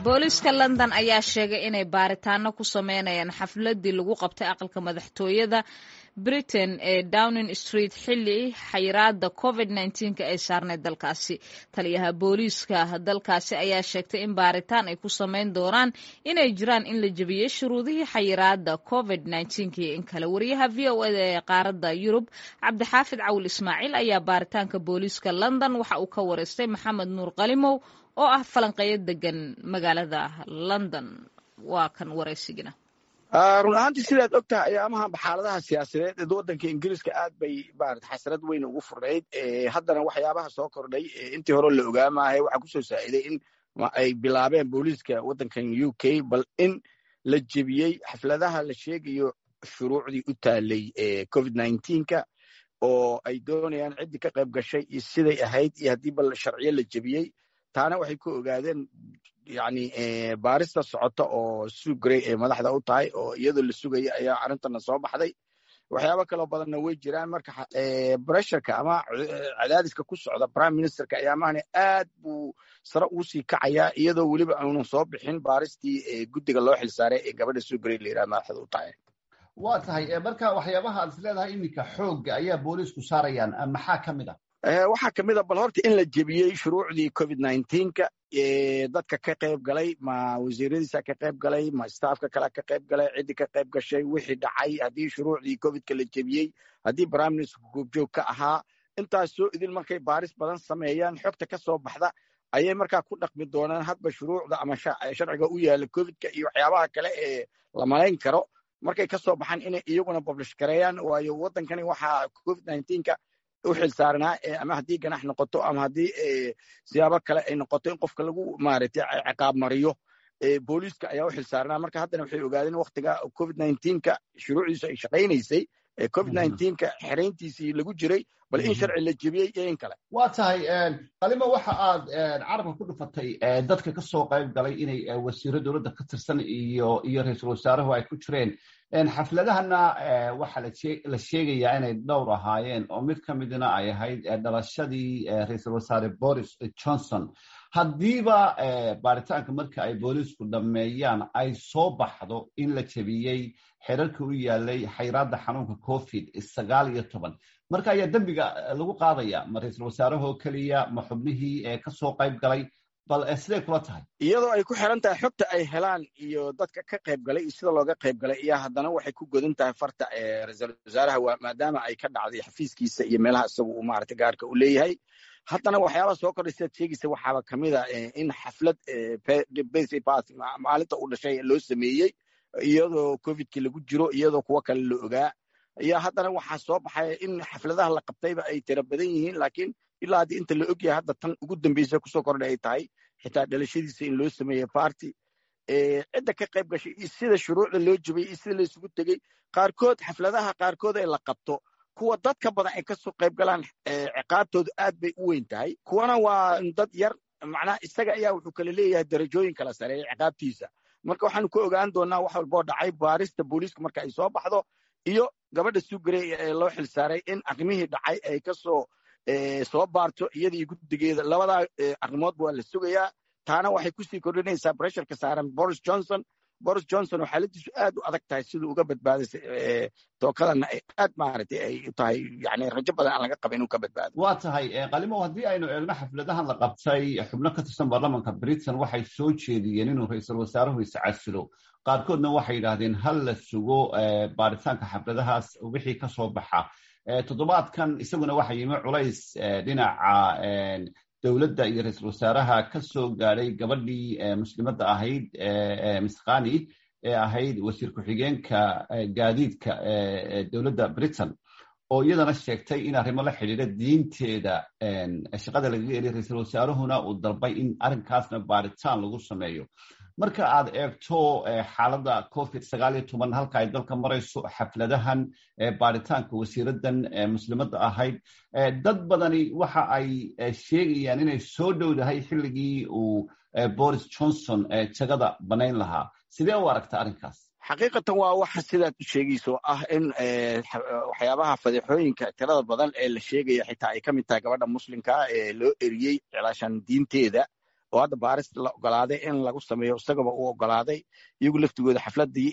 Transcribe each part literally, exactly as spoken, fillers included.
Booliiska London ayaa sheegay inay baaritaano ku sameynayaan xafladii lagu qabtay aqalka madaxtooyada Britain ee Downing Street xilli xayiraada Covid nineteen-ka ay saarneyd dalkaasi. Taliyaha booliiska dalkaasi ayaa sheegtay in baaritaan ay ku sameyn doonaan inay jiraan in la jebiyey shuruudihii xayiraada Covid nineteen-ka iyo in kale. Wariyaha V O A da ee qaaradda Yurub, Cabdixaafid Cawil Ismaaciil, ayaa baaritaanka booliiska London waxa uu ka wareystay Maxamed Nuur Qalimow oo ah falanqeeyo degan magaalada London. Waa kan waraysigina. Run ahaantii, sidaad og tahay, ayaamahan xaaladaha siyaasadeed ee waddanka Ingiriiska aad bay maarata xasrad weyn ugu furnayd. Haddana waxyaabaha soo kordhay, intii hore la ogaa maahay, waxaa kusoo saaciday in ay bilaabeen booliiska waddankan U K bal in la jebiyey xafladaha la sheegayo shuruucdii u taalay Covid nineteen-ka, oo ay doonayaan ciddii ka qayb gashay iyo siday ahayd iyo haddii bal sharciyo la jebiyey. Taana waxay ku ogaadeen yani baarista socota oo Sue Gray ay madaxda u tahay, oo iyadoo la sugaya ayaa arrintana soo baxday. Waxyaabo kaloo badanna way jiraan. Marka pressureka ama cadaadiska ku socda prime ministerka ayaamahani aad buu sare ugu sii kacayaa, iyadoo weliba aanu soo bixin baaristii guddiga loo xilsaaray ee gabadha Sue Gray la yidhaha madaxda u tahay. Waa tahay. Marka waxyaabaha aad is leedahay iminka xoogga ayaa booliisku saarayaan maxaa ka mid a? Waxaa ka mid a bal horta in la jebiyey shuruucdii Covid nineteen-ka, dadka ka qayb galay, ma wasiiradiisa ka qayb galay, ma staffka kale ka qayb galay, ciddii ka qayb gashay, wixii dhacay, haddii shuruucdii Covidka la jebiyey, haddii prime ministerka goobjoog ka ahaa. Intaas soo idin markay baaris badan sameeyaan, xogta ka soo baxda ayay markaa ku dhaqmi doonaan hadba shuruucda ama sharciga u yaala Covidka iyo waxyaabaha kale ee la malayn karo markay ka soo baxaan inay iyaguna publish gareeyaan. Waayo, waddankani waxaa Covid nineteen-ka u xil saaranaa, ama haddii ganax noqoto ama haddii siyaabo kale ay noqoto in qofka lagu maaragtay ciqaab mariyo, booliiska ayaa u xil saaranaa. Marka haddana waxay ogaadeen waktiga Covid nineteen-ka shuruucdiisu ay shaqaynaysay, Covid nineteen-ka xerayntiisii lagu jiray, bal in sharci la jebiyey iyo in kale. Waa tahay, Qalimo. Waxa aad carabka ku dhufatay dadka ka soo qayb galay inay wasiiro dowladda ka tirsan iyo iyo ra-iisul wasaaruhu ay ku jireen. Xafladahana waxaa la sheegayaa inay dhowr ahaayeen, oo mid ka midna ay ahayd dhalashadii ra-iisul wasaare Boris Johnson. Haddiiba baaritaanka marka ay booliisku dhammeeyaan ay soo baxdo in la jebiyey xeerarkii u yaalay xayraadda xanuunka Covid sagaal iyo toban, marka ayaa dembiga lagu qaadaya? Ma ra-iisul wasaarahoo keliya, ma xubnihii kasoo qayb galay? Bal siday kula tahay? Iyadoo ay ku xiran tahay xogta ay helaan iyo dadka ka qayb galay iyo sida looga qayb galay, iyo haddana waxay ku godan tahay farta ra-iisul wasaaraha, maadaama ay ka dhacday xafiiskiisa iyo meelaha isagu uu maarata gaarka u leeyahay. Haddana waxyaabaha soo kordhay, sidaad sheegaysa, waxaaba kamid a in xaflad birthday party maalinta uu dhashay loo sameeyey iyadoo Covidkii lagu jiro, iyadoo kuwo kale la ogaa. Iyo haddana waxaa soo baxaya in xafladaha la qabtayba ay tiro badan yihiin, laakiin ilaa haddii inta la ogyahay hadda tan ugu dambeysa kusoo kordhay ay tahay xitaa dhalashadiisa in loo sameeyey party. Cidda ka qayb gashay iyo sida shuruucda loo jebiyey iyo sida la isugu tegey, qaarkood xafladaha qaarkood ee la qabto, kuwa dadka badan ay kasoo qayb galaan, ciqaabtoodu aad bay u weyn tahay, kuwana waa dad yar. Macnaha isaga ayaa wuxuu kala leeyahay darajooyin kala sareeya ciqaabtiisa. Marka waxaanu ku ogaan doonaa wax walboo dhacay baarista booliiska marka ay soo baxdo, iyo gabadha Sue Gray ee loo xilsaaray in arrimihii dhacay ay kasoo soo baarto, iyadii guddigeeda. Labadaa arrimoodba waa la sugayaa. Taana waxay kusii kordhinaysaa pressureka saaran Boris Johnson. Boris Johnson oo xaaladiisu aad u adag tahay, siduu uga badbaaday tookadanna ay aad maaragtay ay u tahay, yani rajo badan aan laga qaba inuu ka badbaado. Waa tahay, Qalimo. Haddii aynu eegno xafladahan la qabtay, xubno ka tirsan baarlamanka Britain waxay soo jeediyeen inuu ra-iisul wasaaruhu iscasilo. Qaarkoodna waxay yidhaahdeen hal la sugo baaritaanka xafladahaas wixii ka soo baxa. Toddobaadkan isaguna waxa yimi culays dhinaca dowladda iyo ra-iisul wasaaraha ka soo gaadhay gabadhii muslimadda ahayd, Miss Ghani, ee ahayd wasiir ku-xigeenka gaadiidka dowladda Britain, oo iyadana sheegtay in arrimo la xidhiidha diinteeda shaqada lagaga eriy, ra-iisul wasaaruhuna uu dalbay in arrinkaasna baaritaan lagu sameeyo. Marka aad eegto xaaladda Covid sagaal iyo toban halka ay dalka marayso, xafladahan, baaritaanka wasiiradan muslimadda ahayd, dad badani waxa ay sheegayaan inay soo dhowdahay xilligii uu Boris Johnson jagada banayn lahaa. Sidee u aragta arrinkaas? Xaqiiqatan waa waxa sidaad u sheegayso ah in waxyaabaha fadeexooyinka tirada badan ee la sheegaya xitaa ay ka mid tahay gabadha muslimkaa ee loo eriyey cilaashan diinteeda. Oo hadda baaris la ogolaaday in lagu sameeyo, isagaba uu ogolaaday. Iyagu laftigooda xafladii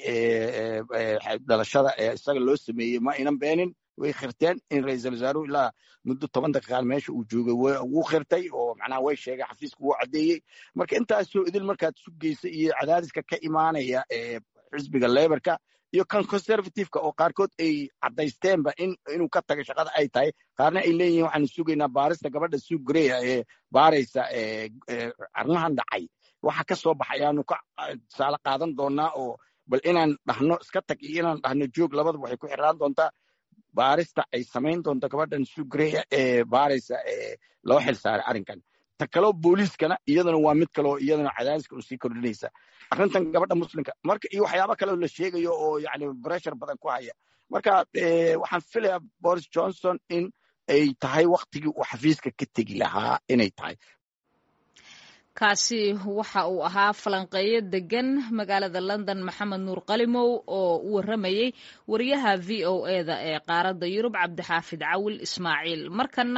dhalashada ee isaga loo sameeyey ma aynan beenin, way khirteen in ra-iisul wasaaruhu ilaa muddo toban daqiiqaan meesha uu joogay. Wuu khirtay oo macnaha way sheegay, xafiiska wuu caddeeyey. Marka intaasoo idil markaad sugeysa iyo cadaadiska ka imaanaya xisbiga Labourka iyo kan Conservativeka, oo qaarkood ay caddaysteenba in inuu ka taga shaqada ay tahay, qaarna ay leeyihiin waxaanu sugaynaa baarista gabadha Sue Gray ee baaraysa arrimahan dhacay, waxa ka soo baxay ayaanu ka tusaale qaadan doonaa, oo bal inaan dhahno iska tag iyo inaan dhahno joog labadaba waxay ku xiraan doontaa baarista ay samayn doonto gabadhan Sue Gray ee baaraysa ee loo xil saaray arrinkan. Ta kaloo booliiskana iyadana waa mid kaloo iyadana cadaadiska u sii kordhinaysa arrintan gabadha Muslimka. Marka iyo waxyaabo kaleo la sheegayo oo yani pressure badan ku haya. Marka waxaan filayaa Boris Johnson in ay tahay waktigii uu xafiiska ka tegi lahaa inay tahay. Kaasi waxa uu ahaa falanqeeyo degan magaalada London, Maxamed Nuur Qalimow, oo u waramayey wariyaha V O E da ee qaaradda Yurub, Cabdixaafid Cawil Ismaaciil. Markana